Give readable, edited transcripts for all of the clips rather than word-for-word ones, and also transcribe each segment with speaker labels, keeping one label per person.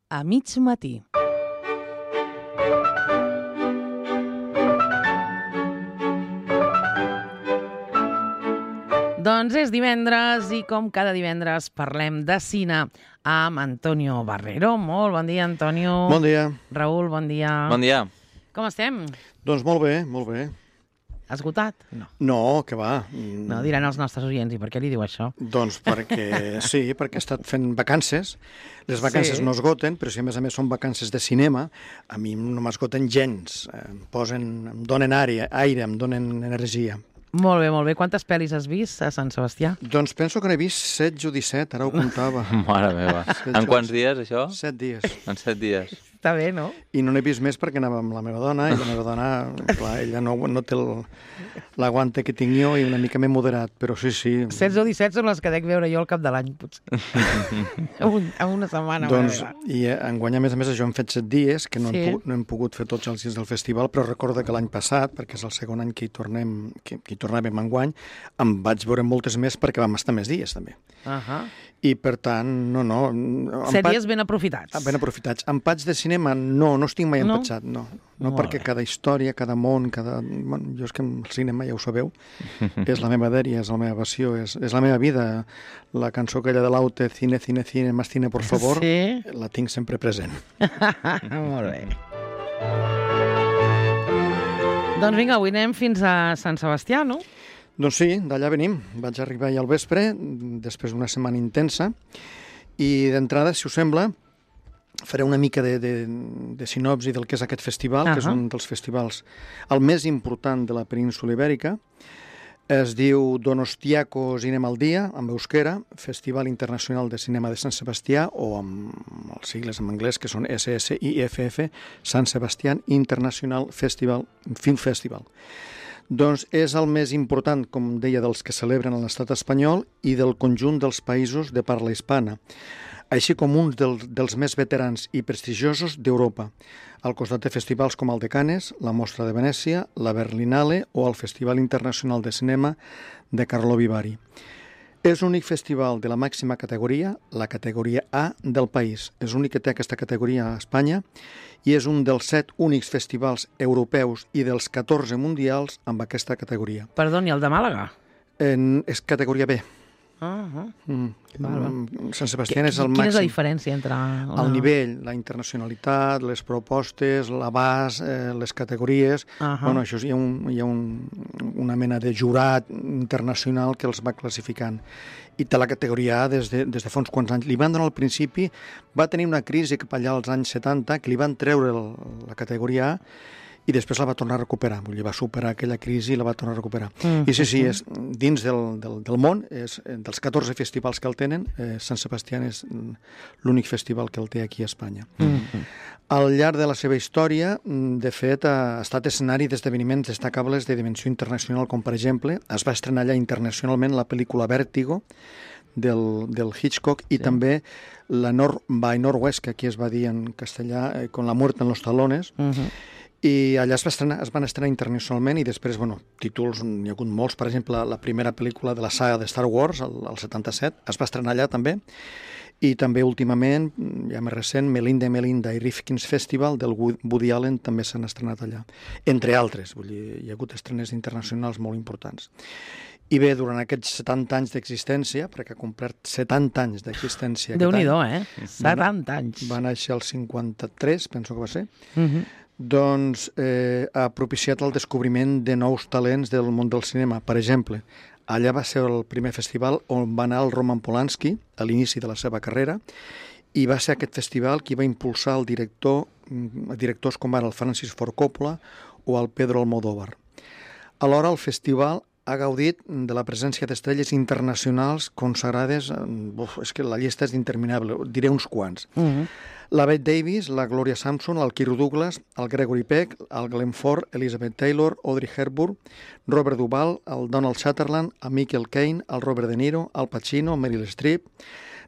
Speaker 1: a mig matí. Doncs és divendres i com cada divendres parlem de cine amb Antonio Barrero. Molt bon dia, Antonio.
Speaker 2: Bon dia.
Speaker 1: Raül, bon dia.
Speaker 3: Bon dia.
Speaker 1: Com estem?
Speaker 2: Doncs molt bé, molt bé.
Speaker 1: Esgotat? No.
Speaker 2: No, que va.
Speaker 1: No, diran els nostres oients. I per què li diu això?
Speaker 2: Doncs perquè sí, perquè he estat fent vacances. Les vacances no esgoten, però si a més són vacances de cinema, a mi no m'esgoten gens. Em donen aire, em donen energia.
Speaker 1: Molt bé. Quantes pel·lis has vist a Sant Sebastià?
Speaker 2: Doncs penso que n'he vist 16 o 17, ara ho comptava.
Speaker 3: Mare meva. En quants dies, això?
Speaker 2: 7 dies.
Speaker 3: En 7 dies.
Speaker 1: Està bé, no?
Speaker 2: I no n'he vist més perquè anava amb la meva dona, i la meva dona, clar, ella no té l'aguante que tinc jo i una mica m'he moderat, però sí.
Speaker 1: 16 o 17 són les que dec veure jo al cap de l'any, potser. a una setmana.
Speaker 2: Doncs, i enguany, a més, això hem fet 7 dies, que no hem pogut fer tots els dies del festival, però recorda que l'any passat, perquè és el segon any que hi tornàvem enguany, em vaig veure moltes més perquè vam estar més dies, també. I, per tant, no.
Speaker 1: 7 dies ben aprofitats.
Speaker 2: Ben aprofitats. Empats de cinema, no estic mai empatxat, no. No, perquè cada història, cada món, jo és que el cinema, ja ho sabeu, és la meva dèria, és la meva passió, és la meva vida. La cançó aquella de l'Aute, cine, más cine, por favor, la tinc sempre present.
Speaker 1: Molt bé. Doncs vinga, avui anem fins a Sant Sebastià, no?
Speaker 2: Doncs sí, d'allà venim. Vaig arribar ahir al vespre, després d'una setmana intensa, i d'entrada, si us sembla, faré una mica de sinopsi del que és aquest festival, que és un dels festivals el més important de la península Ibèrica. Es diu Donostiako Cinema al Dia, en euskera, Festival Internacional de Cinema de Sant Sebastià, o amb els sigles en anglès, que són SSIFF, Sant Sebastián International Film Festival. Doncs és el més important, com deia, dels que celebren a l'estat espanyol i del conjunt dels països de parla hispana, així com un dels més veterans i prestigiosos d'Europa, al costat de festivals com el de Cannes, la Mostra de Venècia, la Berlinale o el Festival Internacional de Cinema de Karlovy Vary. És l'únic festival de la màxima categoria, la categoria A del país. És l'únic que té aquesta categoria a Espanya i és un dels 7 únics festivals europeus i dels 14 mundials amb aquesta categoria.
Speaker 1: Perdoni, el de Màlaga?
Speaker 2: És categoria B. Sant Sebastián és el màxim.
Speaker 1: Quina és la diferència entre...
Speaker 2: El nivell, la internacionalitat, les propostes, l'abast, les categories... Bueno, això hi ha una mena de jurat internacional que els va classificant. I té la categoria A des de fa uns quants anys. Li van donar al principi, va tenir una crisi cap allà als anys 70, que li van treure la categoria A, i després la va tornar a recuperar. Vull dir, va superar aquella crisi i la va tornar a recuperar. I sí, és, dins del món, dels 14 festivals que el tenen, Sant Sebastián és l'únic festival que el té aquí a Espanya. Al llarg de la seva història, de fet, ha estat escenari d'esdeveniments destacables de dimensió internacional, com per exemple, es va estrenar allà internacionalment la pel·lícula Vértigo, del Hitchcock, i també la North by Northwest, que aquí es va dir en castellà, Con la muerte en los talones, i allà es van estrenar internacionalment i després, títols, n'hi ha hagut molts. Per exemple, la primera pel·lícula de la saga de Star Wars, el 77, es va estrenar allà també. I també últimament, ja més recent, Melinda i Rifkin's Festival del Woody Allen també s'han estrenat allà. Entre altres, vull dir, hi ha hagut estrenes internacionals molt importants. I bé, durant aquests 70 anys d'existència, perquè ha complert 70 anys d'existència...
Speaker 1: Déu-n'hi-do, 70 anys.
Speaker 2: Va néixer el 53, penso que va ser. Doncs ha propiciat el descobriment de nous talents del món del cinema. Per exemple, allà va ser el primer festival on va anar el Roman Polanski a l'inici de la seva carrera, i va ser aquest festival qui va impulsar directors com ara el Francis Ford Coppola o el Pedro Almodóvar. Alhora, el festival ha gaudit de la presència d'estrelles internacionals consagrades. És que la llista és interminable, diré uns quants. La Bette Davis, la Gloria Sampson, el Kirk Douglas, el Gregory Peck, el Glenn Ford, Elizabeth Taylor, Audrey Hepburn, Robert Duvall, el Donald Sutherland, el Michael Caine, el Robert De Niro, Al Pacino, Meryl Streep,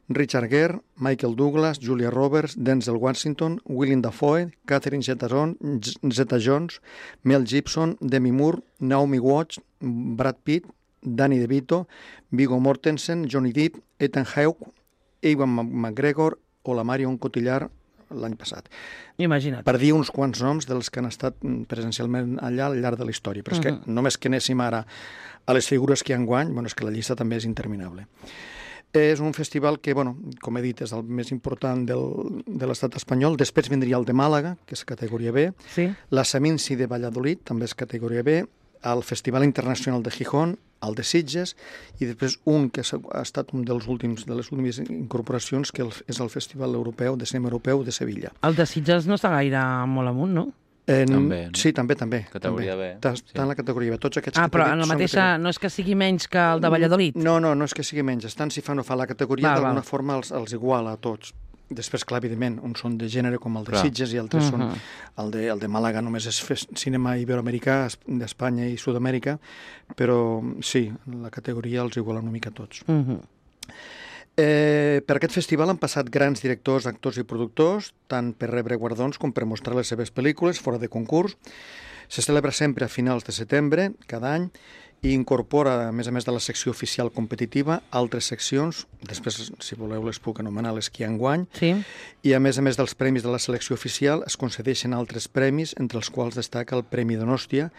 Speaker 2: Richard Gere, Michael Douglas, Julia Roberts, Denzel Washington, Willem Dafoe, Catherine Zeta-Jones, Mel Gibson, Demi Moore, Naomi Watts, Brad Pitt, Danny DeVito, Viggo Mortensen, Johnny Depp, Ethan Hawke, Ewan McGregor o la Marion Cotillard, l'any passat.
Speaker 1: Imagina't.
Speaker 2: Per dir uns quants noms dels que han estat presencialment allà al llarg de la història. Però és que només que anéssim ara a les figures que hi ha enguany, és que la llista també és interminable. És un festival que, com he dit, és el més important de l'estat espanyol. Després vindria el de Màlaga, que és categoria B, la Seminci de Valladolid, també és categoria B, el Festival Internacional de Gijón, el de Sitges, i després un que ha estat un de les últimes incorporacions, que és el Festival Europeu de Cinema Europeu de Sevilla.
Speaker 1: El de Sitges no està gaire molt amunt, no?
Speaker 3: També, no?
Speaker 2: Sí, també.
Speaker 3: Categoria B.
Speaker 2: Està en la categoria B. Tots aquests
Speaker 1: però en la mateixa no és que sigui menys que el de Valladolid?
Speaker 2: No és que sigui menys. Estan, si fa o no fa la categoria, d'alguna forma els iguala a tots. Després, clar, evidentment, uns són de gènere com el de Sitges i altres són... El de Màlaga només és cinema iberoamericà, d'Espanya i Sud-amèrica, però sí, la categoria els iguala una mica a tots. Per aquest festival han passat grans directors, actors i productors, tant per rebre guardons com per mostrar les seves pel·lícules fora de concurs. Se celebra sempre a finals de setembre, cada any, i incorpora, a més de la secció oficial competitiva, altres seccions, després, si voleu, les puc anomenar les que hi ha enguany, i a més dels premis de la selecció oficial es concedeixen altres premis, entre els quals destaca el Premi Donòstia,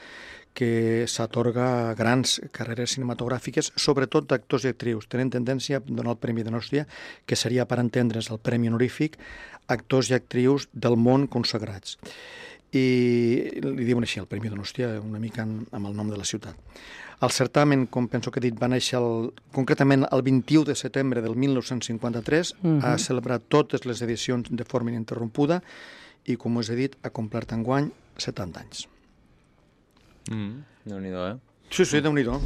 Speaker 2: que s'atorga a grans carreres cinematogràfiques, sobretot d'actors i actrius. Tenen tendència a donar el Premi Donòstia, que seria, per entendre's, el Premi Honorífic, actors i actrius del món consagrats. I li diuen així, el Premi Donòstia, una mica amb el nom de la ciutat. El certamen, com penso que he dit, va néixer concretament el 21 de setembre del 1953, ha celebrat totes les edicions de forma ininterrompuda i, com us he dit, ha complert enguany 70 anys.
Speaker 3: Déu-n'hi-do,
Speaker 2: Sí, Déu-n'hi-do.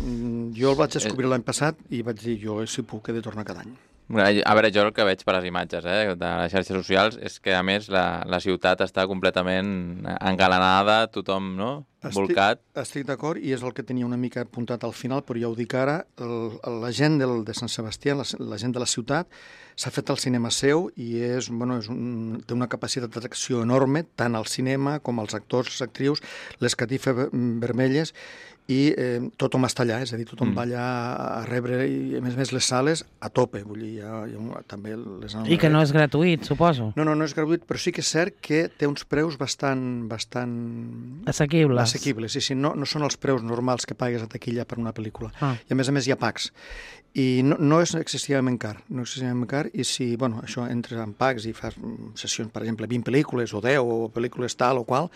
Speaker 2: Jo el vaig descobrir l'any passat i vaig dir, jo, si puc, he de tornar cada any.
Speaker 3: A veure, jo el que veig per les imatges de les xarxes socials és que, a més, la ciutat està completament engalanada, tothom, no?, volcat.
Speaker 2: Estic d'acord, i és el que tenia una mica apuntat al final, però ja ho dic ara, la gent de Sant Sebastià, la gent de la ciutat, s'ha fet el cinema seu i té una capacitat d'atracció enorme, tant al cinema com als actors, les actrius, les catifes vermelles, i tothom està allà, és a dir, tothom va allà a rebre, i a més les sales a tope, vull dir, també les...
Speaker 1: I que no és gratuït, suposo.
Speaker 2: No és gratuït, però sí que és cert que té uns preus bastant...
Speaker 1: Assequibles.
Speaker 2: Sí, no són els preus normals que pagues a taquilla per una pel·lícula. I a més hi ha packs. I no és excessivament car, i si, això, entres en packs i fas sessions, per exemple, 20 pel·lícules o 10 o pel·lícules tal o qual,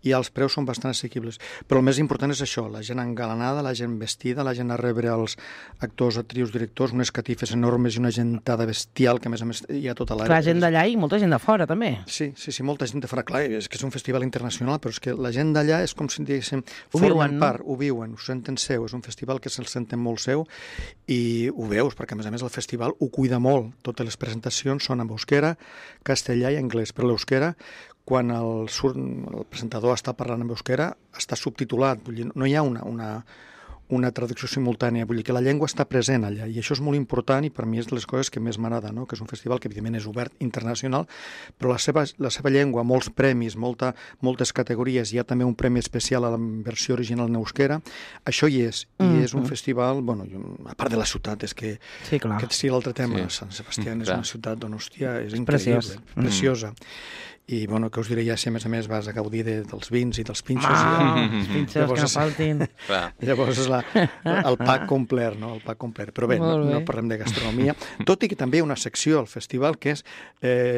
Speaker 2: i els preus són bastant assequibles. Però el més important és això, la gent engalanada, la gent vestida, la gent a rebre els actors, actrius, directors, unes catifes enormes i una gentada bestial que, a més, hi ha tota l'àrea.
Speaker 1: Clar, gent d'allà i molta gent de fora, també.
Speaker 2: Sí, molta gent de fora. Clar, és que és un festival internacional, però és que la gent d'allà és com si diguéssim, ho viuen, ho senten seu, és un festival que se'l senten molt seu i ho veus, perquè a més el festival ho cuida molt. Totes les presentacions són en euskera, castellà i anglès. Però l'euskera, quan el presentador està parlant en euskera, està subtitulat. Vull dir, no hi ha una traducció simultània, vull dir que la llengua està present allà, i això és molt important i per mi és de les coses que més m'agrada, no? Que és un festival que evidentment és obert internacional, però la seva llengua, molts premis, moltes categories, hi ha també un premi especial a la versió original en euskera, això hi és, i és un festival, a part de la ciutat, és que aquest sí l'altre tema, Sant Sebastià és una ciutat hòstia, és increïble, preciosa. I, què us diré ja si a més vas a gaudir dels vins i dels pinxos.
Speaker 1: Els pinxos que no faltin.
Speaker 2: Llavors és el pack complet, no? El pack complet. Però bé, no parlem de gastronomia. Tot i que també hi ha una secció al festival que és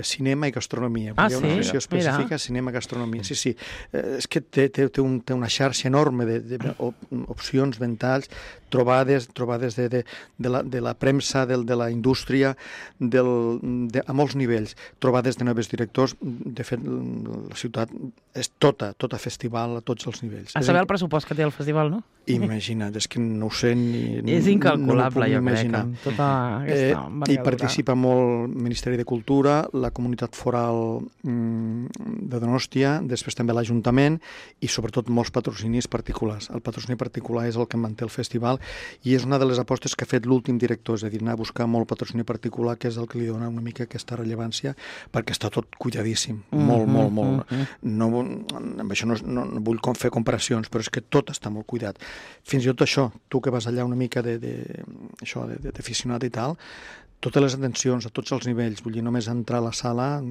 Speaker 2: cinema i gastronomia. Hi ha una secció específica, cinema i gastronomia. Sí. És que té una xarxa enorme d'opcions, ventalls, trobades de la premsa, de la indústria, a molts nivells. Trobades de nous directors. De fet, la ciutat és tota festival a tots els nivells.
Speaker 1: A saber el pressupost que té el festival, no?
Speaker 2: Imagina't, és que no ho sé ni...
Speaker 1: És incalculable, jo crec, amb tota aquesta envergadura.
Speaker 2: Hi participa molt el Ministeri de Cultura, la Comunitat Foral de Donòstia, després també l'Ajuntament i sobretot molts patrocinis particulars. El patrocini particular és el que manté el festival i és una de les apostes que ha fet l'últim director, és a dir, anar a buscar molt patrocini particular, que és el que li dona una mica aquesta rellevància, perquè està tot cuidadíssim, molt. Amb això no vull fer comparacions, però és que tot està molt cuidat. Fins i tot això, tu que vas allà una mica d'aficionat i tal, totes les atencions a tots els nivells, vull dir, només entrar a la sala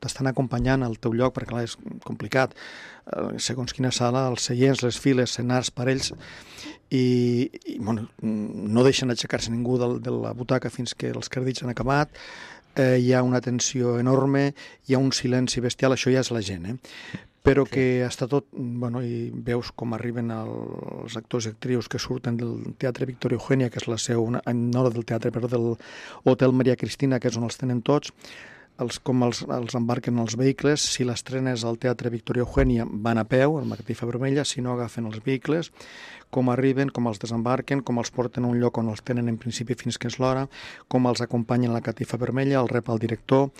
Speaker 2: t'estan acompanyant al teu lloc, perquè clar, és complicat. Segons quina sala, els seients, les files, senars, parells, i bueno, no deixen aixecar-se ningú de la butaca fins que els crèdits han acabat, hi ha una tensió enorme, hi ha un silenci bestial, això ja és la gent, però que està tot, bueno, i veus com arriben els actors i actrius que surten del Teatre Victoria Eugènia, que és la seu, no del teatre, però del Hotel Maria Cristina, que és on els tenen tots, com els embarquen els vehicles. Si l'estrena és al Teatre Victoria Eugènia, van a peu, al Catifa Vermella, si no agafen els vehicles, com arriben, com els desembarquen, com els porten a un lloc on els tenen en principi fins que és l'hora, com els acompanyen a la Catifa Vermella, el rep el director,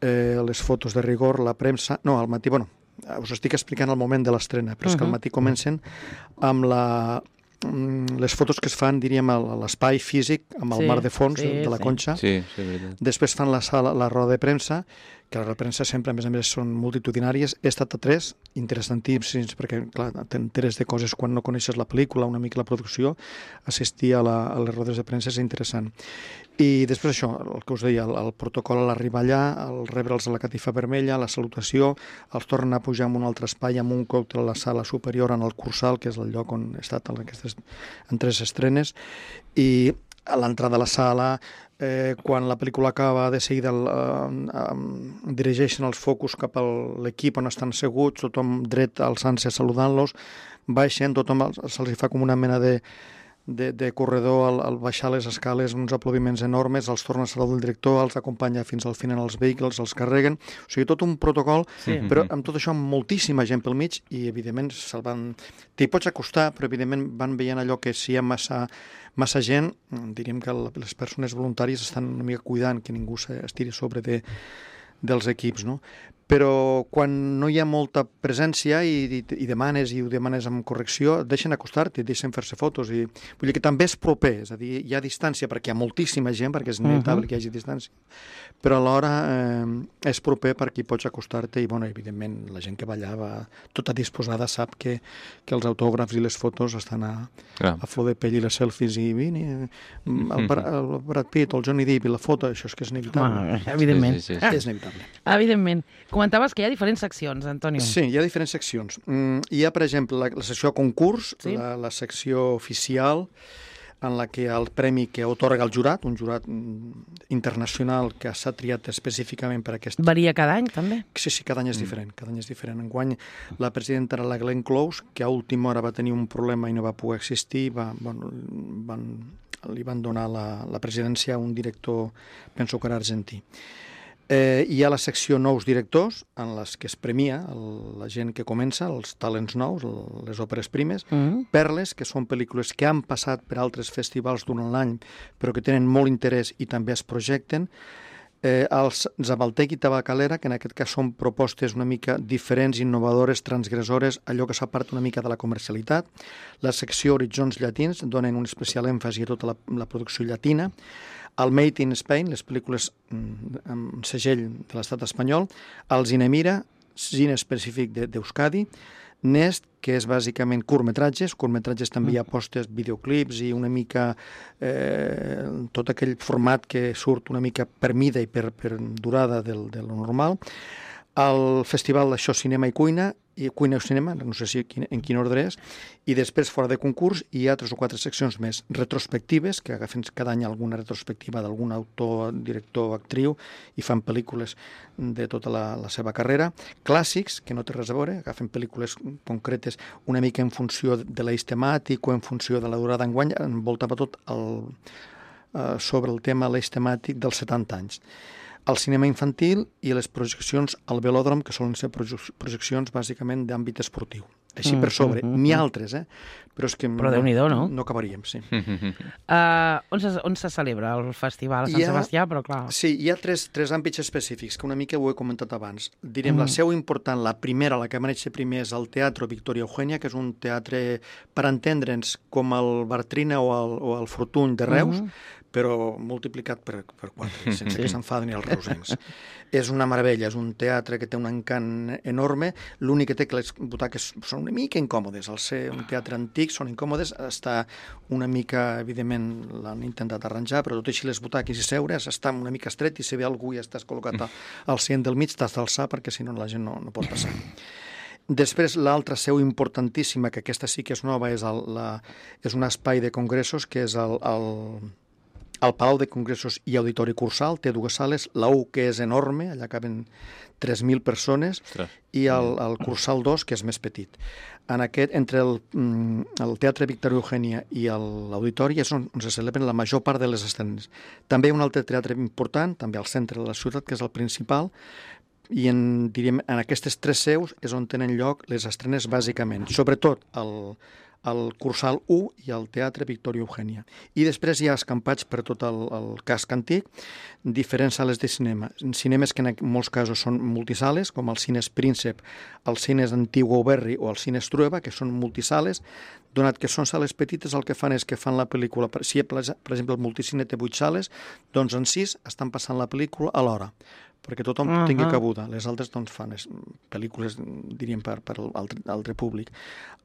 Speaker 2: les fotos de rigor, la premsa... No, al matí, bueno, us estic explicant el moment de l'estrena, però és que al matí comencen amb les fotos que es fan, diríem, a l'espai físic, amb el mar de fons de la Conxa.
Speaker 3: Sí, veritat.
Speaker 2: Després fan la roda de premsa, que les rodes de premsa sempre, a més, són multitudinàries. He estat a 3, interessantíssims, perquè, clar, t'enteres de coses quan no coneixes la pel·lícula, una mica la producció. Assistir a les rodes de premsa és interessant. I després això, el que us deia, el protocol a l'arribar allà, el rebre'ls a la Catifa Vermella, la salutació, els tornen a pujar en un altre espai, amb un còctel a la sala superior, en el Cursal, que és el lloc on he estat en 3 estrenes, i a l'entrada a la sala, quan la pel·lícula acaba, de seguida dirigeixen els focus cap a l'equip on estan seguts, tothom dret alçant-se saludant-los, baixen, tothom se'ls fa com una mena de corredor al baixar les escales, uns aplaudiments enormes, els torna a saludar el director, els acompanya fins al final als vehicles, els carreguen, o sigui, tot un protocol, però amb tot això amb moltíssima gent pel mig, i evidentment t'hi pots acostar, però evidentment van veient allò que si hi ha massa gent, diríem que les persones voluntàries estan una mica cuidant que ningú estiri sobre dels equips, no? Però quan no hi ha molta presència i ho demanes amb correcció, deixen acostar-te, deixen fer-se fotos. Vull dir que també és proper, és a dir, hi ha distància perquè hi ha moltíssima gent, perquè és inevitable que hi hagi distància, però alhora és proper perquè hi pots acostar-te i, bueno, evidentment, la gent que va allà va tota disposada, sap que els autògrafs i les fotos estan a flor de pell, i les selfies, i vine, el Brad Pitt, el Johnny Depp i la foto, això és que és inevitable.
Speaker 1: Evidentment.
Speaker 3: Sí.
Speaker 2: És inevitable.
Speaker 1: Evidentment. Comentaves que hi ha diferents seccions, Antonio.
Speaker 2: Sí, hi ha diferents seccions. Hi ha, per exemple, la secció concurs, la secció oficial, en la que el premi que otorga el jurat, un jurat internacional que s'ha triat específicament per aquest...
Speaker 1: Varia cada any, també?
Speaker 2: Sí, cada any és diferent. Cada any és diferent. Enguany, la presidenta era la Glenn Close, que a última hora va tenir un problema i no va poder existir. Li van donar la presidència a un director, penso que era argentí. Hi ha la secció nous directors, en les que es premia la gent que comença, els talents nous, les òperes primes, perles, que són pel·lícules que han passat per altres festivals durant l'any, però que tenen molt interès i també es projecten, els Zabaltec i Tabacalera, que en aquest cas són propostes una mica diferents, innovadores, transgressores, allò que s'aparta una mica de la comercialitat. La secció Horitzons Llatins donen un especial èmfasi a tota la producció llatina. El Made in Spain, les pel·lícules amb segell de l'estat espanyol, el Zinemira, cine específic d'Euskadi, Nest, que és bàsicament curtmetratges també hi ha postes, videoclips i una mica tot aquell format que surt una mica per mida i per durada de lo normal. El Festival d'Això Cinema i Cuina o Cinema, no sé si en quin ordre és, i després, fora de concurs, hi ha 3 o 4 seccions més retrospectives, que agafen cada any alguna retrospectiva d'algun autor, director, actriu, i fan pel·lícules de tota la seva carrera. Clàssics, que no té res a veure, agafen pel·lícules concretes una mica en funció de l'eix temàtic o en funció de la durada. Enguany envoltava tot sobre el tema, l'eix temàtic dels 70 anys. El cinema infantil i les projeccions al velòdrom, que solen ser projeccions bàsicament d'àmbit esportiu. Així per sobre. N'hi ha altres, però és que...
Speaker 1: Però Déu-n'hi-do, no?
Speaker 2: No acabaríem, sí.
Speaker 1: On se celebra el festival? A Sant Sebastià, però clar...
Speaker 2: Sí, hi ha tres àmbits específics, que una mica ho he comentat abans. Direm, la seu important, la primera, la que va néixer primer, és el Teatre Victoria Eugènia, que és un teatre, per entendre'ns, com el Bartrina o el Fortuny de Reus, però multiplicat per 4, sense que s'enfaden els reusencs. És una meravella, és un teatre que té un encant enorme, l'únic que té que les butaques són una mica incòmodes, al ser un teatre antic són incòmodes, està una mica, evidentment, l'han intentat arranjar, però tot així les butaques i seure's està una mica estret i si ve algú i estàs col·locat al cent del mig, t'has d'alçar perquè si no la gent no pot passar. Després, l'altra seu importantíssima, que aquesta sí que és nova, és un espai de congressos, que és el Palau de Congressos i Auditori Cursal, té dues sales, la U, que és enorme, allà caben 3.000 persones, i el Cursal 2, que és més petit. En aquest, entre el Teatre Victòria Eugènia i l'Auditori és on se celebren la major part de les estrenes. També un altre teatre important, també al centre de la ciutat, que és el principal, i en aquestes tres seus és on tenen lloc les estrenes bàsicament, sobretot el Cursal 1 i el Teatre Victòria Eugènia. I després hi ha escampats per tot el casc antic, diferents sales de cinema. Cinemes que en molts casos són multisales, com els cines Príncep, els cines Antigua Auberri o els cines Trueba, que són multisales. Donat que són sales petites, el que fan és que fan la pel·lícula. Si, per exemple, el multicine té 8 sales, doncs en 6 estan passant la pel·lícula a l'hora, perquè tothom tingui cabuda. Les altres doncs, fan pel·lícules, diríem, per altre públic.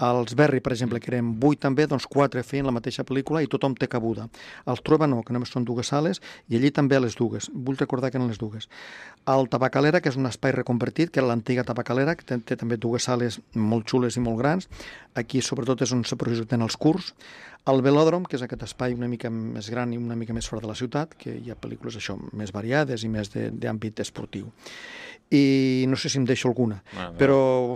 Speaker 2: Els Berri, per exemple, que eren 8 també, doncs 4 feien la mateixa pel·lícula i tothom té cabuda. Els Trueba no, que només són 2 sales, i allí també les dues. Vull recordar que eren les dues. El Tabacalera, que és un espai reconvertit, que era l'antiga Tabacalera, que té també 2 sales molt xules i molt grans. Aquí, sobretot, és on se projecten els curts. El Velòdrom, que és aquest espai una mica més gran i una mica més fora de la ciutat, que hi ha pel·lícules això més variades i més d'àmbit esportiu. I no sé si em deixo alguna, però...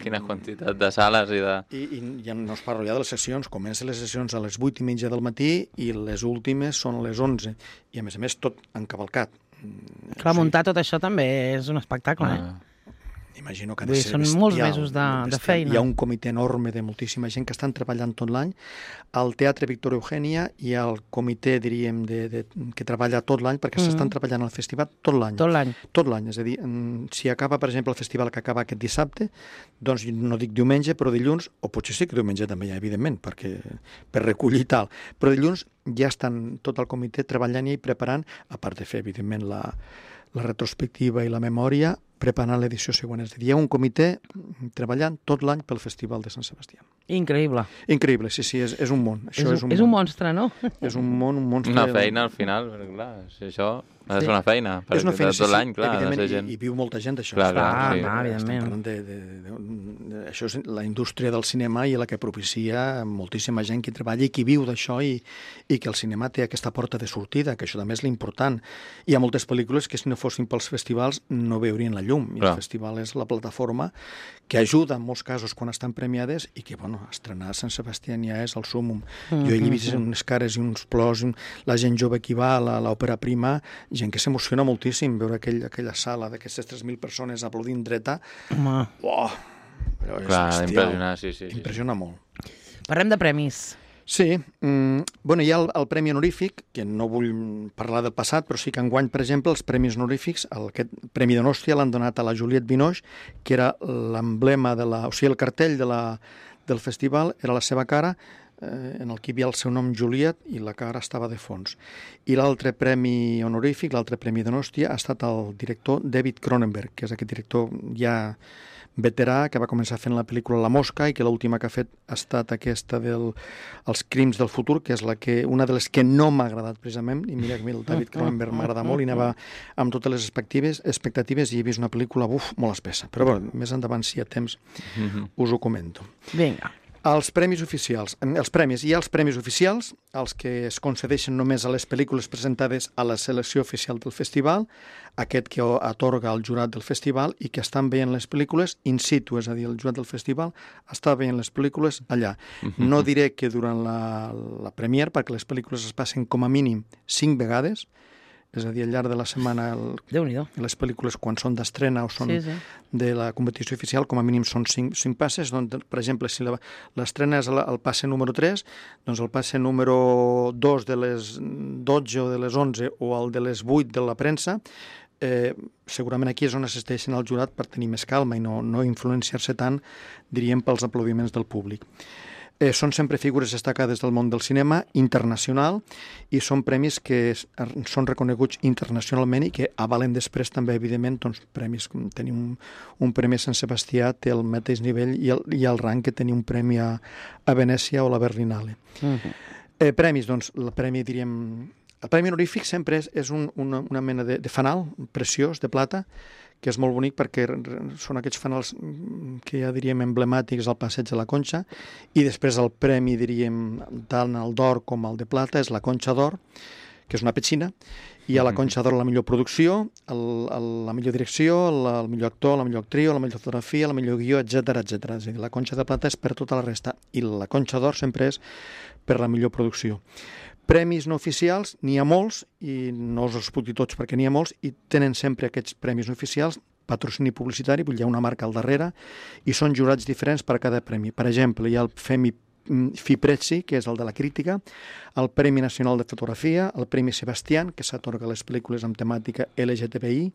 Speaker 3: Quina quantitat de sales i de...
Speaker 2: I ja no us parlo ja de les sessions, comencen les sessions a les 8:30 del matí i les últimes són a les 11, i a més tot encavalcat.
Speaker 1: Clar, muntar tot això també és un espectacle,
Speaker 2: Imagino que ha de ser
Speaker 1: són
Speaker 2: bestial,
Speaker 1: molts mesos de feina.
Speaker 2: Hi ha un comitè enorme de moltíssima gent que estan treballant tot l'any. Al Teatre Victòria Eugènia hi ha el comitè, diríem, que treballa tot l'any, perquè s'estan treballant al festival tot l'any.
Speaker 1: Tot l'any.
Speaker 2: Tot l'any, és a dir, si acaba, per exemple, el festival que acaba aquest dissabte, doncs no dic diumenge, però dilluns, o potser sí que diumenge també hi ha, evidentment, per recollir i tal, però dilluns ja estan tot el comitè treballant i preparant, a part de fer, evidentment, la retrospectiva i la memòria, preparant l'edició següent. És a dir, hi ha un comitè treballant tot l'any pel Festival de Sant Sebastià.
Speaker 1: Increïble.
Speaker 2: Increïble, sí, és un món. Això
Speaker 1: és un monstre, no?
Speaker 2: És un monstre.
Speaker 3: Una feina, al final, perquè clar, si això ha de ser una feina.
Speaker 2: És una feina,
Speaker 3: tot l'any, clar,
Speaker 2: evidentment,
Speaker 3: de ser gent.
Speaker 2: i viu molta gent d'això.
Speaker 3: Clar,
Speaker 2: evidentment. Això és la indústria del cinema i la que propicia moltíssima gent que treballa i que viu d'això i que el cinema té aquesta porta de sortida, que això també és l'important. Hi ha moltes pel·lícules que si no fossin pels festivals no veurien la llum. I el festival és la plataforma que ajuda en molts casos quan estan premiades i que, bueno, estrenar a Sant Sebastià ja és el súmmum. Jo he vist unes cares i uns plors, la gent jove que hi va a l'òpera prima, gent que s'emociona moltíssim veure aquella sala d'aquestes 3.000 persones aplaudint dreta.
Speaker 1: Home.
Speaker 2: Oh, però és
Speaker 3: clar,
Speaker 2: bestial.
Speaker 3: impressiona, sí.
Speaker 2: Impressiona molt.
Speaker 1: Parlem de premis.
Speaker 2: Sí, hi ha el Premi Honorífic, que no vull parlar del passat, però sí que enguany, per exemple, els Premis Honorífics, aquest Premi Donòstia l'han donat a la Juliette Binoche, que era l'emblema o sigui, el cartell del festival, era la seva cara, en el que hi havia el seu nom Juliet i la cara estava de fons. I l'altre premi honorífic, l'altre Premi Donòstia, ha estat el director David Cronenberg, que és aquest director ja veterà, que va començar fent la pel·lícula La Mosca i que l'última que ha fet ha estat aquesta Els crims del futur, que és una de les que no m'ha agradat precisament, i mira que el David Cronenberg m'agrada molt i anava amb totes les expectatives i he vist una pel·lícula molt espessa, però bueno, més endavant si hi ha temps us ho comento.
Speaker 1: Vinga.
Speaker 2: Els premis oficials, hi ha els premis oficials, els que es concedeixen només a les pel·lícules presentades a la selecció oficial del festival, aquest que atorga el jurat del festival i que estan veient les pel·lícules in situ, és a dir, el jurat del festival està veient les pel·lícules allà. No diré que durant la premier, perquè les pel·lícules es passen com a mínim 5 vegades, és a dir, al llarg de la setmana les pel·lícules quan són d'estrena o són de la competició oficial com a mínim són 5 passes. Doncs, per exemple, si l'estrena és el passe número 3, doncs el passe número 2 de les 12 o de les 11 o el de les 8 de la premsa, segurament aquí és on assisteixen al jurat per tenir més calma i no influenciar-se tant, diríem, pels aplaudiments del públic. Són sempre figures destacades del món del cinema internacional i són premis que són reconeguts internacionalment i que avalen després també, evidentment, doncs, premis. Tenir un premi a Sant Sebastià té el mateix nivell i el rang que tenir un premi a Venècia o la Berlinale. Premis, doncs, el premi, diríem... El premi honorífic sempre és una mena de fanal preciós, de plata, que és molt bonic perquè són aquests fanals que ja diríem emblemàtics al Passeig de la Conxa, i després el premi, diríem, tant el d'or com el de plata, és la Conxa d'Or, que és una petxina, i a la Conxa d'Or la millor producció, la millor direcció, el millor actor, la millor actriu, la millor fotografia, la millor guió, etc etc. És a dir, la Conxa de plata és per tota la resta, i la Conxa d'Or sempre és per la millor producció. Premis no oficials, n'hi ha molts, i no us els puc dir tots perquè n'hi ha molts, i tenen sempre aquests premis no oficials, patrocini publicitari, vull dir, hi ha una marca al darrere, i són jurats diferents per a cada premi. Per exemple, hi ha el FIPREZZI, que és el de la crítica, el Premi Nacional de Fotografia, el Premi Sebastián, que s'atorga a les pel·lícules amb temàtica LGTBI,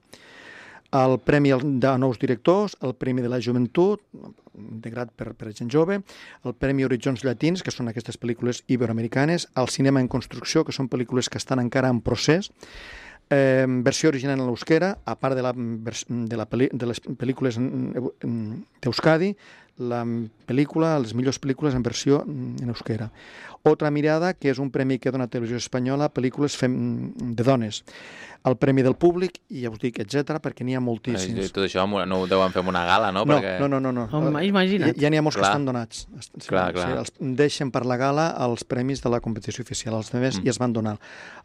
Speaker 2: el Premi de Nous Directors, el Premi de la Joventut, integrat per gent jove, el Premi Horitzons Llatins, que són aquestes pel·lícules iberoamericanes, el Cinema en Construcció, que són pel·lícules que estan encara en procés, versió original en l'euskera, a part de les pel·lícules d'Euskadi, la pel·lícula, les millors pel·lícules en versió en euskera. Otra Mirada, que és un premi que dona Televisió Espanyola a pel·lícules de dones. El Premi del Públic, i ja us dic, etc, perquè n'hi ha moltíssims.
Speaker 3: Tot això no ho deuen fer en una gala, no?
Speaker 2: No.
Speaker 1: Imagina't.
Speaker 2: Ja n'hi ha molts que estan donats.
Speaker 3: Clar.
Speaker 2: Els deixen per la gala els premis de la competició oficial. Els altres ja es van donar.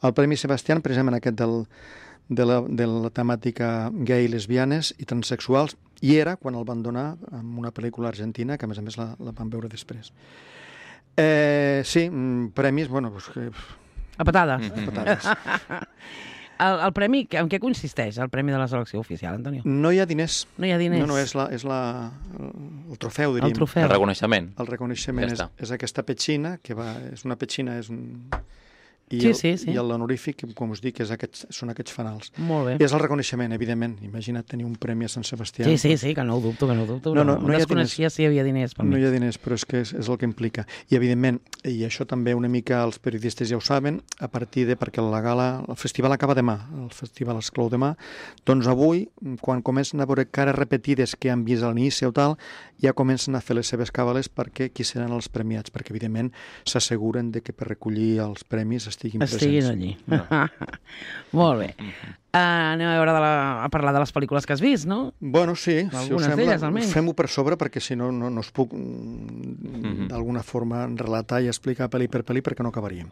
Speaker 2: El Premi Sebastián, precisament aquest de la temàtica gay, lesbianes i transsexuals, i era quan el van donar en una pel·lícula argentina, que a més la van veure després. Sí, premis, bueno...
Speaker 1: A patades.
Speaker 2: A patades.
Speaker 1: El premi, en què consisteix, el premi de la selecció oficial, Antonio?
Speaker 2: No hi ha diners.
Speaker 1: No hi ha diners?
Speaker 2: No, és el trofeu, diríem.
Speaker 1: El trofeu.
Speaker 3: El reconeixement.
Speaker 2: El reconeixement és aquesta petxina, que és una petxina, és un... I l'honorífic, com us dic, són aquests fanals.
Speaker 1: Molt bé.
Speaker 2: I és el reconeixement, evidentment. Imagina't tenir un premi a Sant Sebastià.
Speaker 1: Sí, que no ho dubto.
Speaker 2: No
Speaker 1: desconeixia si hi havia diners.
Speaker 2: No hi ha diners, però és que és el que implica. I, evidentment, i això també una mica els periodistes ja ho saben, a partir de... perquè la gala, el festival acaba demà, el festival es clou demà, doncs avui, quan comencen a veure cares repetides que han vist a l'inici o tal, ja comencen a fer les seves càbales perquè qui seran els premiats, perquè, evidentment, s'asseguren de que per recollir els premis estiguin
Speaker 1: allí. No. Molt bé. Anem a parlar de les pel·lícules que has vist, no?
Speaker 2: Bueno, sí.
Speaker 1: Algunes d'elles, almenys.
Speaker 2: Fem-ho per sobre, perquè si no us puc d'alguna forma relatar i explicar pel·li per pel·li, perquè no acabaríem.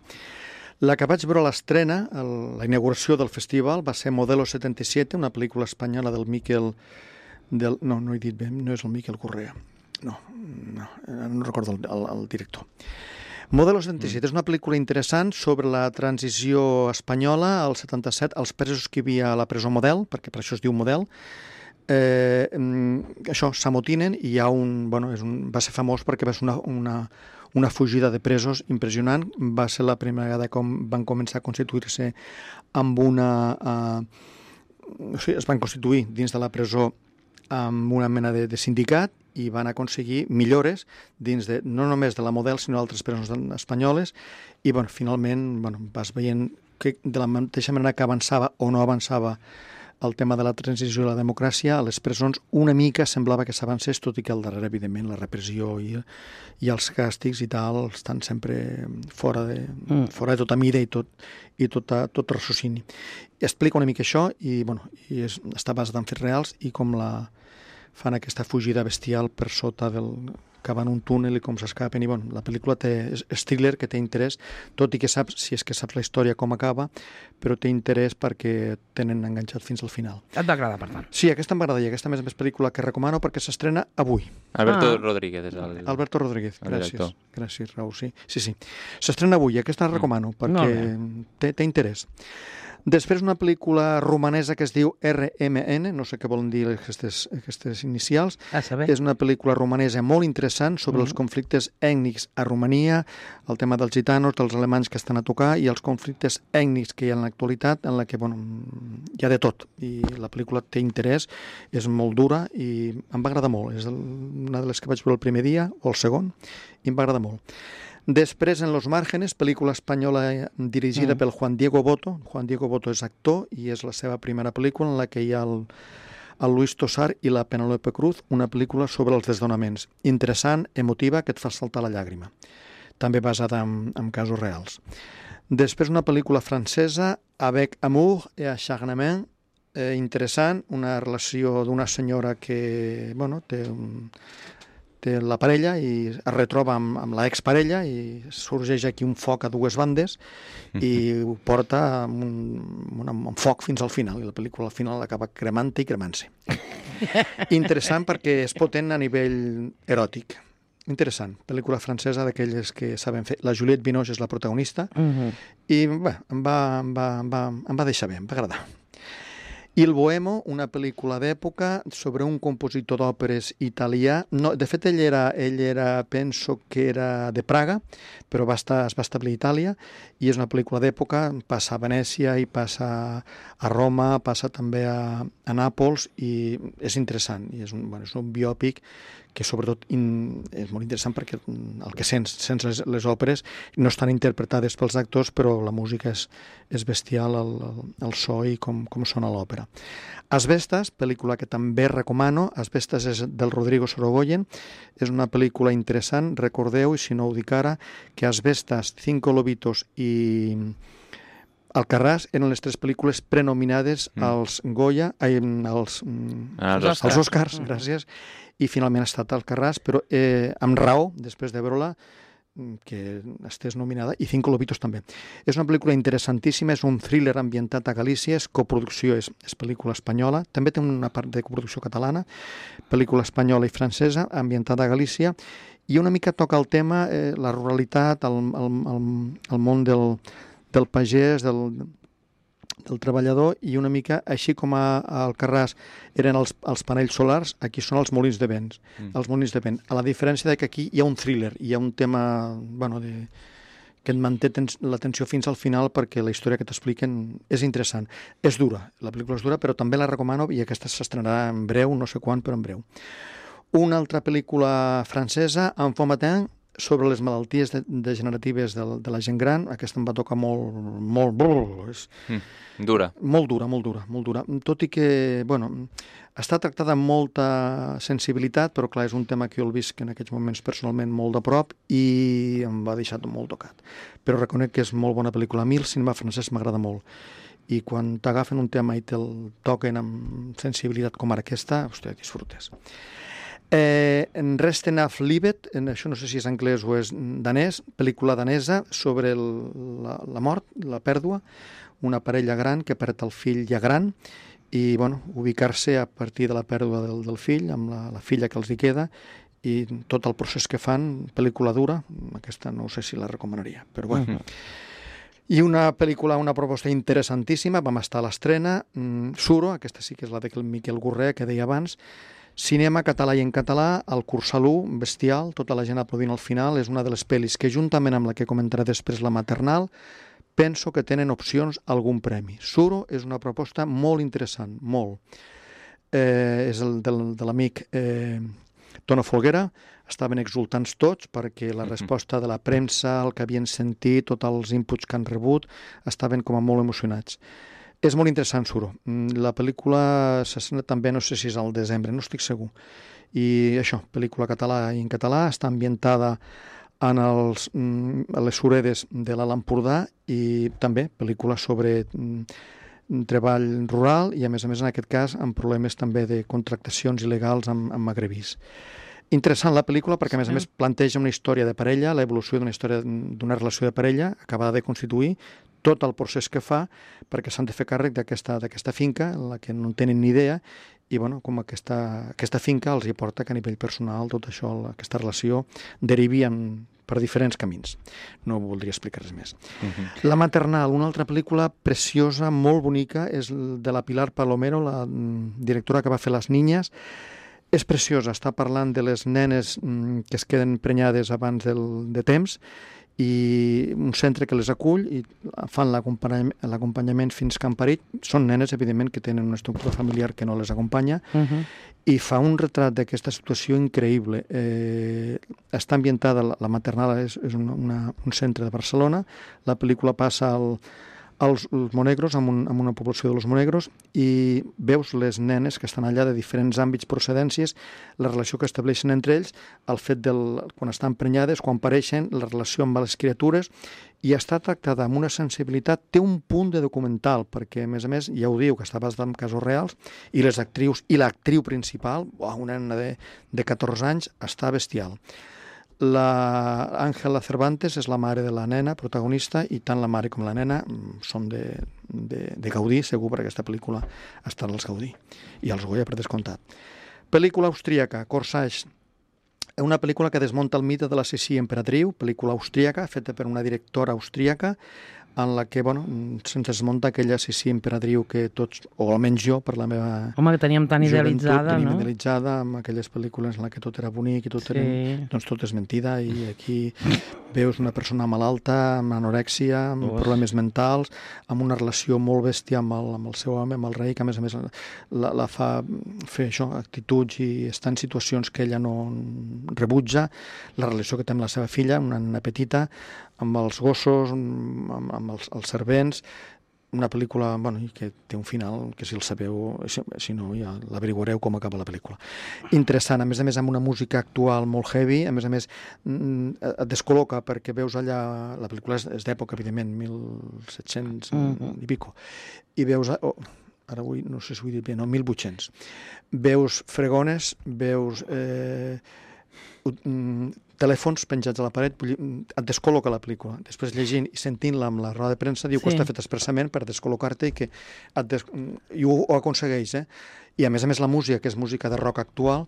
Speaker 2: La que vaig veure a l'estrena, la inauguració del festival, va ser Modelo 77, una pel·lícula espanyola del Miquel... No he dit bé, no és el Miquel Correa. No recordo el director. Modelo 77 és una pel·lícula interessant sobre la transició espanyola al 77, els presos que hi havia a la presó Model, perquè per això es diu Model. Això, s'amotinen i hi ha va ser famós perquè va ser una fugida de presos impressionant. Va ser la primera vegada com van començar a constituir-se amb es van constituir dins de la presó amb una mena de sindicat i van aconseguir millores dins no només de la Model, sinó d'altres presons espanyoles, i finalment vas veient que de la mateixa manera que avançava o no avançava el tema de la transició i la democràcia, a les presons una mica semblava que s'avancés, tot i que al darrere, evidentment, la repressió i els càstigs i tal estan sempre fora de tota mida i tot raciocini. Explica una mica això i està basat en fets reals i com fan aquesta fugida bestial per sota cavant un túnel i com s'escapen. I la pel·lícula és thriller, que té interès, tot i que saps, si és que saps la història com acaba, però té interès perquè tenen enganxat fins al final.
Speaker 1: Et va agradar, per tant?
Speaker 2: Sí, aquesta m'agrada i aquesta més pel·lícula que recomano perquè s'estrena avui.
Speaker 3: Alberto Rodríguez és el...
Speaker 2: Alberto Rodríguez, gràcies, Raúl, sí. S'estrena avui, aquesta la recomano perquè té interès. Després una pel·lícula romanesa que es diu RMN, no sé què volen dir aquestes inicials. És una pel·lícula romanesa molt interessant sobre els conflictes ètnics a Romania, el tema dels gitanos, dels alemanys que estan a tocar i els conflictes ètnics que hi ha en l'actualitat, en la que hi ha de tot. I la pel·lícula té interès, és molt dura i em va agradar molt. És una de les que vaig veure el primer dia o el segon i em va agradar molt. Després, En los márgenes, pel·lícula espanyola dirigida pel Juan Diego Boto. Juan Diego Boto és actor i és la seva primera pel·lícula en la que hi ha el Luis Tosar i la Penélope Cruz, una pel·lícula sobre els desnonaments. Interessant, emotiva, que et fa saltar la llàgrima. També basada en casos reals. Després, una pel·lícula francesa, Avec amour et acharnement, interessant, una relació d'una senyora que té la parella i es retroba amb l'exparella i sorgeix aquí un foc a dues bandes i ho porta amb foc fins al final i la pel·lícula al final acaba cremant-te i cremant-se. Interessant perquè és potent a nivell eròtic. Interessant, pel·lícula francesa d'aquelles que saben fer. La Juliette Binoche és la protagonista i bé, em va deixar bé, em va agradar. Il Bohemo, una pel·lícula d'època sobre un compositor d'òperes italià. No, de fet, ell era, penso que era de Praga, però es va establir a Itàlia, i és una pel·lícula d'època, passa a Venècia i passa a Roma, passa també a Nàpols, i és interessant. I és un biòpic que sobretot és molt interessant perquè el que sents les òperes no estan interpretades pels actors, però la música és bestial, el so i com sona l'òpera. Asbestas, pel·lícula que també recomano. Asbestas és del Rodrigo Sorogoyen, és una pel·lícula interessant. Recordeu, i si no ho dic ara, que Asbestas, Cinco Lobitos i Alcarràs eren les tres pel·lícules prenominades als Goya, als Oscars, gràcies, i finalment ha estat Alcarràs, però amb raó, després de veure-la, que estés nominada, i Cinco Lobitos també. És una pel·lícula interessantíssima, és un thriller ambientat a Galícia, és coproducció, és pel·lícula espanyola, també té una part de coproducció catalana, pel·lícula espanyola i francesa, ambientada a Galícia, i una mica toca el tema, la ruralitat, el món del pagès, del treballador, i una mica, així com a Alcarràs eren els panells solars, aquí són els molins de vent. Els molins de vent. A la diferència que aquí hi ha un thriller, hi ha un tema que et manté l'atenció fins al final perquè la història que t'expliquen és interessant. És dura, la pel·lícula és dura, però també la recomano i aquesta s'estrenarà en breu, no sé quan, però en breu. Una altra pel·lícula francesa, Enfant matin, sobre les malalties degeneratives de la gent gran. Aquesta em va tocar molt
Speaker 3: dura.
Speaker 2: Molt dura. Tot i que, està tractada amb molta sensibilitat, però clar, és un tema que jo el visc en aquests moments personalment molt de prop i em va deixar molt tocat. Però reconec que és molt bona pel·lícula. A mi el cinema francès m'agrada molt. I quan t'agafen un tema i te'l toquen amb sensibilitat com ara aquesta, disfrutes. Resten auf Livet, això no sé si és anglès o és danès, pel·lícula danesa sobre la mort, la pèrdua, una parella gran que perd el fill ja gran i ubicar-se a partir de la pèrdua del fill, amb la filla que els hi queda, i tot el procés que fan, pel·lícula dura, aquesta no sé si la recomanaria, però bueno. I una pel·lícula, una proposta interessantíssima, vam estar a l'estrena, Suro, aquesta sí que és la de Miquel Gorré, que deia abans, cinema català i en català, el Cursalú, bestial, tota la gent aplaudint al final, és una de les pel·lis que juntament amb la que comentaré després, la maternal, penso que tenen opcions a algun premi. Suro és una proposta molt interessant, molt. És el de l'amic Tono Folguera, estaven exultants tots perquè la resposta de la premsa, el que havien sentit, tots els inputs que han rebut, estaven com a molt emocionats. És molt interessant, Suro. La pel·lícula s'estrena també, no sé si és al desembre, no estic segur. I això, pel·lícula català i en català, està ambientada a les suredes de l'Alt Empordà i també pel·lícula sobre treball rural i, a més, en aquest cas, amb problemes també de contractacions il·legals amb magrebís. Interessant la pel·lícula perquè, a més, planteja una història de parella, l'evolució d'una relació de parella acabada de constituir, tot el procés que fa perquè s'han de fer càrrec d'aquesta finca en la que no tenen ni idea i com aquesta finca els hi porta que a nivell personal tot això, aquesta relació derivi en per diferents camins. No voldria explicar res més. La maternal, una altra pel·lícula preciosa, molt bonica, és de la Pilar Palomero, la directora que va fer Les Niñas. És preciosa, està parlant de les nenes que es queden prenyades abans de temps, i un centre que les acull i fan l'acompanyament fins que han parit. Són nenes, evidentment, que tenen una estructura familiar que no les acompanya, i fa un retrat d'aquesta situació increïble. Està ambientada, la maternal és un centre de Barcelona, la pel·lícula passa als Monegros, amb una població de los Monegros, i veus les nenes que estan allà de diferents àmbits, procedències, la relació que estableixen entre ells, el fet quan estan prenyades, quan pareixen, la relació amb les criatures, i està tractada amb una sensibilitat, té un punt de documental, perquè, a més, ja ho diu, que està basada en casos reals, i les actrius, i l'actriu principal, una nena de 14 anys, està bestial. La Ángela Cervantes és la mare de la nena protagonista, i tant la mare com la nena són de Gaudí, segur, perquè aquesta pel·lícula està als Gaudí i als Goya, per descomptat. Pel·lícula austríaca, Corsage, una pel·lícula que desmunta el mite de la Sissi Imperatriu, pel·lícula austríaca, feta per una directora austríaca, en la que, se'ns desmunta aquella Sissi Imperatriu que tots, o almenys jo, per la meva
Speaker 1: Home, que teníem tan idealitzada, no?
Speaker 2: Idealitzada, amb aquelles pel·lícules en la que tot era bonic i tot era... Doncs tot és mentida, i aquí veus una persona malalta, amb anorèxia, amb problemes mentals, amb una relació molt bèstia amb el seu home, amb el rei, que a més la fa fer això, actituds, i està en situacions que ella no rebutja, la relació que té amb la seva filla, una nena petita, amb els gossos, amb els servents, una pel·lícula que té un final que, si el sabeu, si no ja l'averiguareu com acaba la pel·lícula. Interessant, a més amb una música actual molt heavy, a més et descol·loca, perquè veus allà, la pel·lícula és d'època, evidentment, 1700 i pico, i veus, ara no sé si ho he dit bé, no, 1800, veus fregones, veus telèfons penjats a la paret, et descol·loca la pel·lícula. Després, llegint i sentint-la amb la roda de premsa, diu que està fet expressament per descol·locar-te, i ho aconsegueix, I a més la música, que és música de rock actual,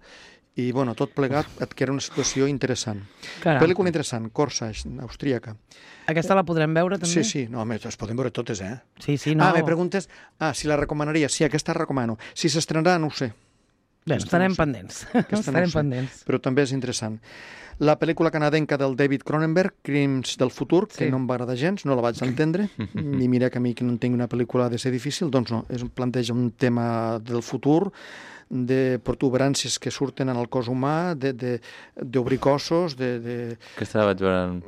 Speaker 2: i tot plegat et queda una situació interessant. Pel·lícula interessant, Corsage, austríaca.
Speaker 1: Aquesta la podrem veure, també?
Speaker 2: Sí, no, les podem veure totes,
Speaker 1: Sí, no.
Speaker 2: Me preguntes, si la recomanaria. Sí, aquesta recomano. Si s'estrenarà, no ho sé.
Speaker 1: Bé, estarem pendents.
Speaker 2: Però també és interessant. La pel·lícula canadenca del David Cronenberg, Crims del futur, que no em va agradar gens, no la vaig entendre, i mira que a mi que no entenc una pel·lícula de ser difícil, doncs no, planteja un tema del futur, de protuberàncies que surten en el cos humà, d'obrir cossos,
Speaker 3: Aquesta la vaig veure en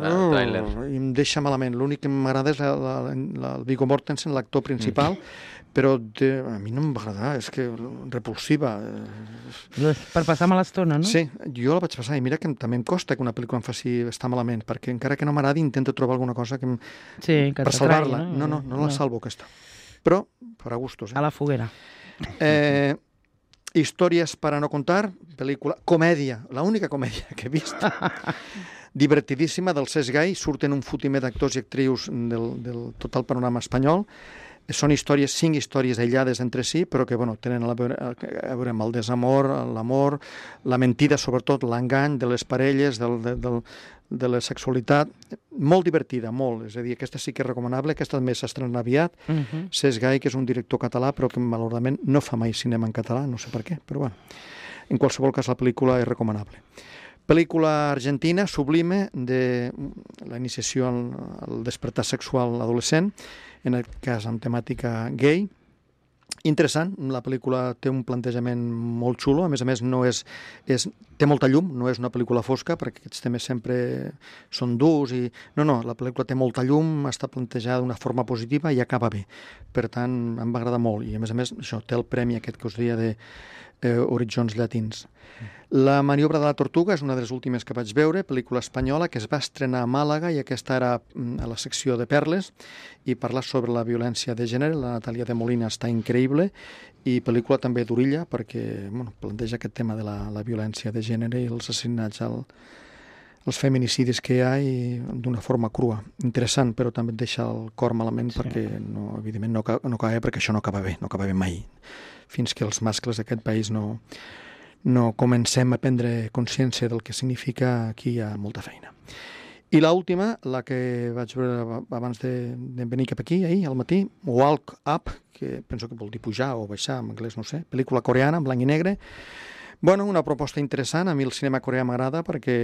Speaker 3: el tràiler.
Speaker 2: I em deixa malament. L'únic que m'agrada és el Viggo Mortensen, l'actor principal, però a mi no em va agradar, és que repulsiva.
Speaker 1: Per passar mala estona, no?
Speaker 2: Sí, jo la vaig passar, i mira que també em costa que una pel·lícula em faci estar malament, perquè encara que no m'agradi intento trobar alguna cosa per salvar-la. No la salvo, aquesta. Però farà gustos.
Speaker 1: A la foguera.
Speaker 2: Històries para no contar, pel·lícula, comèdia, l'única comèdia que he vist, divertidíssima, del Cesc Gai, surten un fotimer d'actors i actrius del tot el panorama espanyol. Són 5 històries aïllades entre si, però que tenen a veure amb el desamor, l'amor, la mentida, sobretot l'engany de les parelles, de la sexualitat. Molt divertida, molt. És a dir, aquesta sí que és recomanable, aquesta també s'estrena aviat. Cesc Gai, que és un director català, però que malauradament no fa mai cinema en català, no sé per què, però en qualsevol cas la pel·lícula és recomanable. Pel·lícula argentina, Sublime, de la iniciació al despertar sexual adolescent, en aquest cas amb temàtica gay. Interessant, la pel·lícula té un plantejament molt xulo, a més té molta llum, no és una pel·lícula fosca, perquè aquests temes sempre són durs, no, la pel·lícula té molta llum, està plantejada d'una forma positiva i acaba bé. Per tant, em va agradar molt, i a més això té el premi aquest que us deia de Horitzons Llatins. La maniobra de la tortuga és una de les últimes que vaig veure, pel·lícula espanyola que es va estrenar a Màlaga, i aquesta era a la secció de perles, i parla sobre la violència de gènere. La Natàlia de Molina està increïble, i pel·lícula també d'Orilla, perquè planteja aquest tema de la violència de gènere i els assassinats, els feminicidis que hi ha, i d'una forma crua. Interessant, però també et deixa el cor malament, perquè evidentment no acaba bé, perquè això no acaba bé mai, fins que els mascles d'aquest país no no comencem a prendre consciència del que significa, aquí hi ha molta feina. I l'última, la que vaig veure abans de venir cap aquí, ahir, al matí, Walk Up, que penso que vol dir pujar o baixar, en anglès no sé, pel·lícula coreana, en blanc i negre. Bueno, una proposta interessant, a mi el cinema coreà m'agrada perquè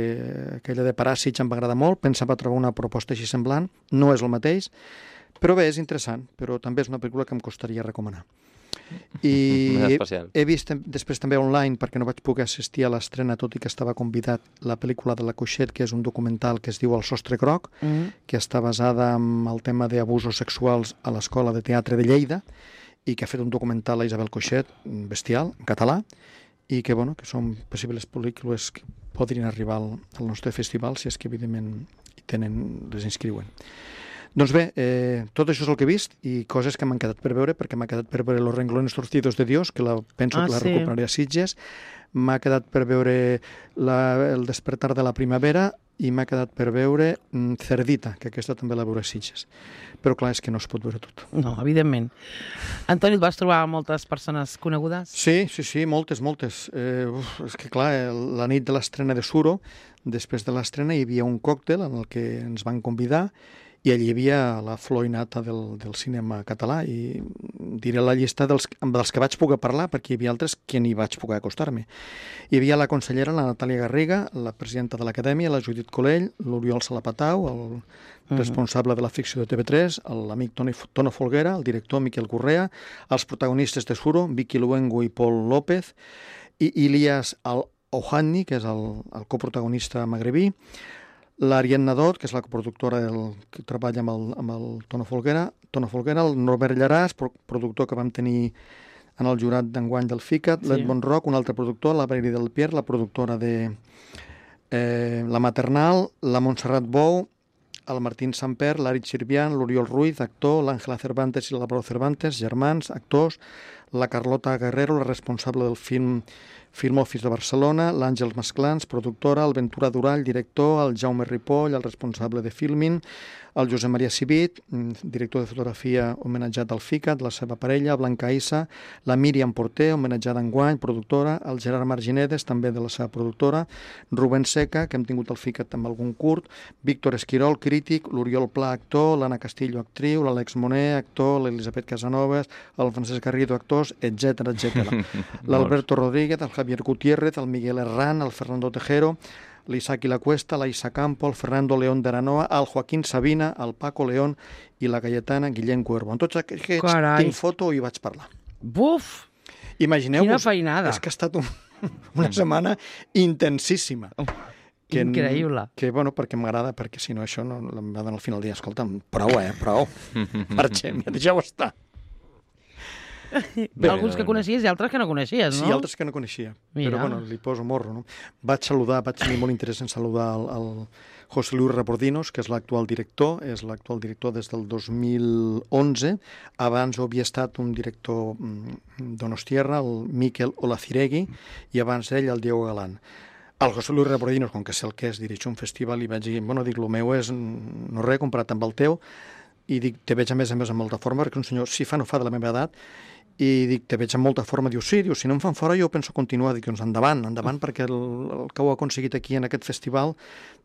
Speaker 2: aquella de Paràsits em va agradar molt, pensava trobar una proposta així semblant, no és el mateix, però bé, és interessant, però també és una pel·lícula que em costaria recomanar. I he vist després també online, perquè no vaig poder assistir a l'estrena, tot i que estava convidat, la pel·lícula de la Coixet, que és un documental que es diu El sostre groc, que està basada en el tema d'abusos sexuals a l'Escola de Teatre de Lleida, i que ha fet un documental a Isabel Coixet, bestial, en català, i que, bueno, que són possibles pel·lícules que podrien arribar al nostre festival, si és que evidentment les inscriuen. Doncs bé, tot això és el que he vist i coses que m'han quedat per veure, perquè m'ha quedat per veure Los renglones torcidos de Dios, que penso que la recuperaré a Sitges, m'ha quedat per veure El despertar de la primavera i m'ha quedat per veure Cerdita, que aquesta també la veuré a Sitges. Però clar, és que no es pot veure tot.
Speaker 1: No, evidentment. Antoni, et vas trobar moltes persones conegudes?
Speaker 2: Sí, moltes. És que clar, la nit de l'estrena de Suro, després de l'estrena hi havia un còctel en el que ens van convidar i allí hi havia la flor i nata del cinema català i diré la llista dels que vaig poder parlar, perquè hi havia altres que ni vaig poder acostar-me. Hi havia la consellera, la Natàlia Garriga, la presidenta de l'Acadèmia, la Judit Colell, l'Oriol Salapatau, el responsable de la ficció de TV3, l'amic Tono Folguera, el director Miquel Correa, els protagonistes de Suro, Vicky Luengo i Pol López, i Ilias Al-Ohani, que és el coprotagonista magrebí, l'Arien Nadot, que és la coproductora que treballa amb el Tono Folguera, el Norbert Llaràs, productor que vam tenir en el jurat d'enguany del FICAT, l'Edmond Roc, un altre productor, la Valeri del Pierre, la productora de La Maternal, la Montserrat Bou, el Martín Samper, l'Arit Sirvian, l'Oriol Ruiz, actor, l'Àngela Cervantes i l'Álvaro Cervantes, germans, actors, la Carlota Guerrero, la responsable del Film Office de Barcelona, l'Àngels Masclans, productora, el Ventura Durall, director, el Jaume Ripoll, el responsable de Filmin, el Josep Maria Civit, director de fotografia homenatjat al FICAT, la seva parella, Blanca Issa, la Míriam Porter, homenatjada enguany, productora, el Gerard Marginedes, també de la seva productora, Rubén Seca, que hem tingut al FICAT amb algun curt, Víctor Esquirol, crític, l'Oriol Pla, actor, l'Anna Castillo, actriu, l'Àlex Moner, actor, l'Elisabet Casanovas, el Francesc Garrido, actors, etc. L'Alberto Rodríguez, el Javier Gutiérrez, el Miguel Herrán, el Fernando Tejero, l'Isaac i la Cuesta, la Isa Campo, el Fernando León de Aranoa, el Joaquín Sabina, el Paco León i la Cayetana Guillem Cuervo. En tots aquests tinc foto i vaig parlar.
Speaker 1: Buf!
Speaker 2: Imagineu-vos,
Speaker 1: quina feinada!
Speaker 2: És que ha estat una setmana intensíssima.
Speaker 1: Increïble.
Speaker 2: Que, bueno, perquè m'agrada, perquè si no això no em va donar al final del dia. Escolta'm, prou. Marxem, ja deixeu estar.
Speaker 1: Alguns que coneixies i altres que no coneixies, no?
Speaker 2: Sí, altres que no coneixia. Mira. Però, bueno, li poso morro, no? Vaig tenir molt interès en saludar el José Luis Rebordinos, que és l'actual director, des del 2011. Abans havia estat un director donostiarra, el Miquel Olaciregui, i abans ell el Diego Galán. El José Luis Rebordinos, com que sé el que és, dirigir un festival, i vaig dir, bueno, dic, el meu és no res comparat amb el teu, i dic, te veig a més amb molta forma, perquè un senyor, si fa no fa de la meva edat, i dic, te veig amb molta forma, diu, sí, si no em fan fora jo penso continuar, dic, doncs endavant, perquè el que ho ha aconseguit aquí en aquest festival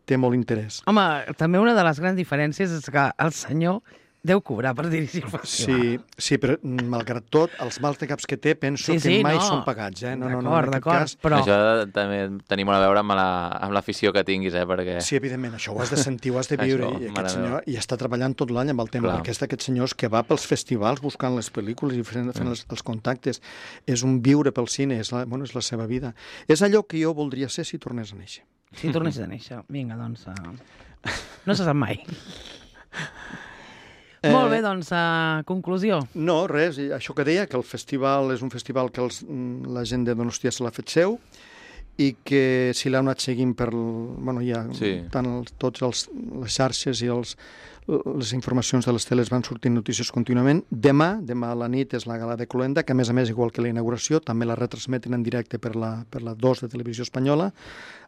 Speaker 2: té molt interès.
Speaker 1: Home, també una de les grans diferències és que el senyor deu cobrar per dirigir el festival.
Speaker 2: Sí, però malgrat tot, els mals de caps que té penso que mai són pagats.
Speaker 1: D'acord, però...
Speaker 3: Això també tenim a veure amb l'afició que tinguis, perquè...
Speaker 2: Sí, evidentment, això ho has de sentir, ho has de viure, i aquest senyor hi està treballant tot l'any amb el tema, perquè és d'aquests senyors que va pels festivals buscant les pel·lícules i fent els contactes. És un viure pel cine, és la seva vida. És allò que jo voldria ser si tornés a néixer.
Speaker 1: Si tornessis a néixer. Vinga, doncs... No se sap mai. Molt bé, doncs, conclusió.
Speaker 2: No, res, això que deia, que el festival és un festival que la gent de Donostia se l'ha fet seu i que si l'ha anat seguint per... hi ha tant tots les xarxes i les informacions de les teles van sortint notícies contínuament. Demà a la nit és la gala de Cluenda, que a més, igual que la inauguració, també la retransmeten en directe per la 2 de Televisió Espanyola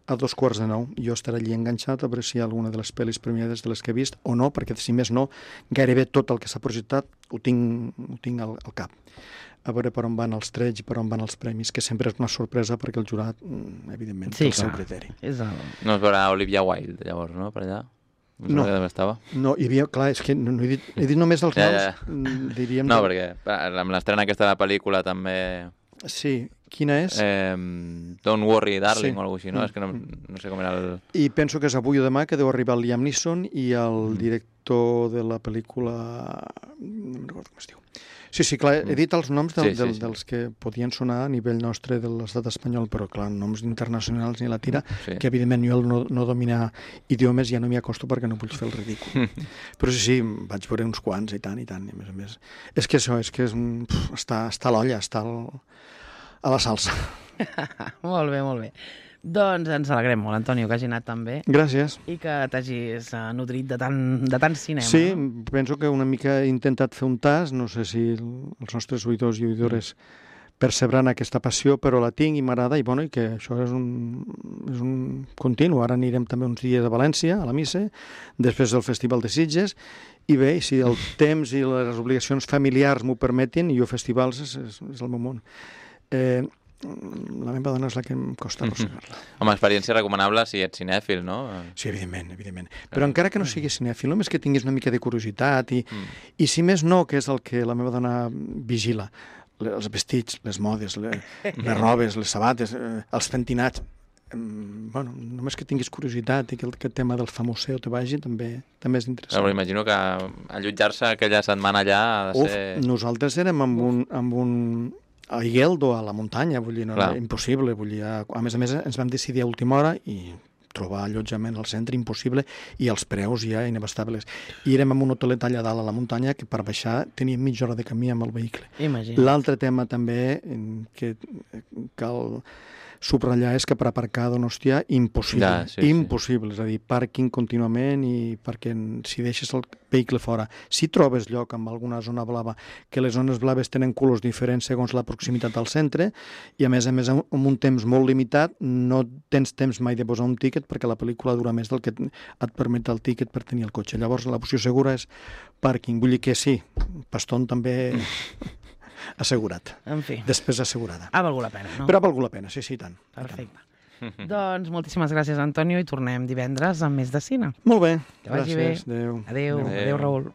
Speaker 2: a 2:15. Jo estaré allí enganxat a veure si hi ha alguna de les pel·lis premiades de les que he vist o no, perquè si més no, gairebé tot el que s'ha projectat ho tinc al cap. a veure per on van els trets i per on van els premis, que sempre és una sorpresa perquè el jurat, evidentment, té el seu criteri.
Speaker 3: No es veurà Olivia Wilde, llavors, no?, per allà?
Speaker 2: No, hi havia, clar, és que no he dit només els noms, diríem...
Speaker 3: No, perquè amb l'estrena aquesta de la pel·lícula també...
Speaker 2: Sí, quina és?
Speaker 3: Don't Worry Darling o alguna cosa així, no? És que no sé com era el...
Speaker 2: I penso que és avui o demà que deu arribar el Liam Neeson i el director de la pel·lícula... No me'n recordo com es diu. Sí, clar, he dit els noms dels que podien sonar a nivell nostre de l'estat espanyol, però clar, noms internacionals ni la tira, que evidentment jo no domina idiomes ja no m'hi acosto perquè no vull fer el ridícul. Però sí, vaig veure uns quants i tant, i a més. És que això, està a l'olla, està a la salsa.
Speaker 1: Molt bé. Doncs ens alegrem molt, Antonio, que hagi anat tan bé.
Speaker 2: Gràcies.
Speaker 1: I que t'hagis nodrit de tant cinema.
Speaker 2: Sí, penso que una mica he intentat fer un tas, no sé si els nostres oïdors i oïdores percebran aquesta passió, però la tinc i m'agrada, i que això és un continu. Ara anirem també uns dies a València, a la missa, després del Festival de Sitges, i bé, si el temps i les obligacions familiars m'ho permetin, i jo festivals és el meu món. La meva dona és la que em costa arrossegar-la.
Speaker 3: Home, experiència recomanable si ets cinèfil, no?
Speaker 2: Sí, evidentment. Però encara que no sigui cinèfil, només que tinguis una mica de curiositat i si més no, que és el que la meva dona vigila, els vestits, les modes, les robes, les sabates, els pentinats, només que tinguis curiositat i que aquest tema del famoseo te vagi també és interessant.
Speaker 3: Però imagino que allotjar-se aquella setmana allà ha de ser...
Speaker 2: Nosaltres érem amb un a Igueldo, a la muntanya, vull dir, no era impossible, a més ens vam decidir a última hora i trobar allotjament al centre impossible i els preus ja inabastables. I érem en un hotelet allà dalt a la muntanya que per baixar teníem mitja hora de camí amb el vehicle. L'altre tema també que cal subratllar és que per aparcar a Donostia impossible, impossible, és a dir, pàrquing contínuament i perquè si deixes el vehicle fora, si trobes lloc en alguna zona blava, que les zones blaves tenen colors diferents segons la proximitat al centre i a més amb un temps molt limitat no tens temps mai de posar un tíquet perquè la pel·lícula dura més del que et permet el tíquet per tenir el cotxe. Llavors l'opció segura és pàrquing, vull dir que sí, Paston també... assegurat.
Speaker 1: En fi.
Speaker 2: Després assegurada.
Speaker 1: Ha valgut la pena, no?
Speaker 2: Però ha valgut la pena, sí, tant.
Speaker 1: Perfecte. Doncs moltíssimes gràcies, Antonio, i tornem divendres amb més de cine.
Speaker 2: Molt bé.
Speaker 1: Que vagi bé.
Speaker 2: Adéu.
Speaker 1: Adéu, Raül.